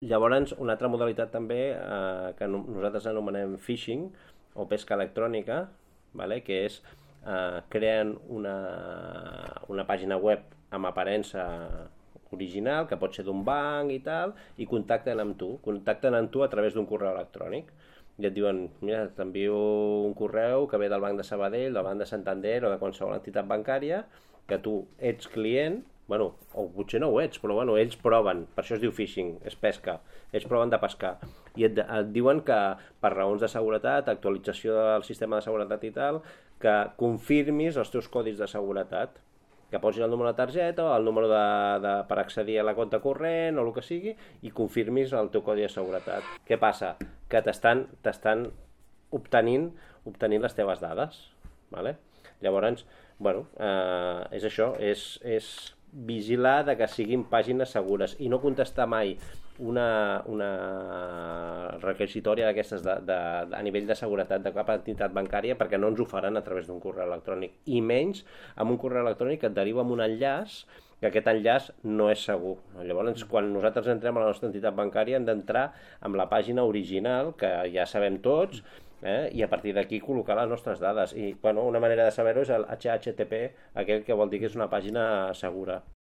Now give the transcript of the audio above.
Llavors, una altra modalitat també que nosaltres anomenem phishing o pesca electrònica, vale? Que és creen una pàgina web amb aparença original, que pot ser d'un banc i tal, i contacten amb tu a través d'un correu electrònic. I et diuen, mira, t'envio un correu que ve del Banc de Sabadell, del Banc de Santander o de qualsevol entitat bancària, que tu ets client, bueno, o potser no ho ets, però bueno, ells proven, per això es diu phishing, és pesca, ells proven de pescar, i et diuen que per raons de seguretat, actualització del sistema de seguretat i tal, que confirmis els teus codis de seguretat, que posis el número de targeta o el número per accedir a la compte corrent o el que sigui i confirmis el teu codi de seguretat. Què passa? Que t'estan obtenint les teves dades, ¿vale? Llavors, bueno, és això, és vigilar de que siguin pàgines segures i no contestar mai una requisitòria d'aquestes a nivell de seguretat de cap entitat bancària, perquè no ens ho faran a través d'un correu electrònic, i menys amb un correu electrònic que et deriva amb un enllaç que aquest enllaç no és segur. Llavors, quan nosaltres entrem a la nostra entitat bancària hem d'entrar amb la pàgina original, que ja sabem tots, i a partir d'aquí col·locar les nostres dades. I bueno, una manera de saber-ho és el HTTP, aquell que vol dir que és una pàgina segura.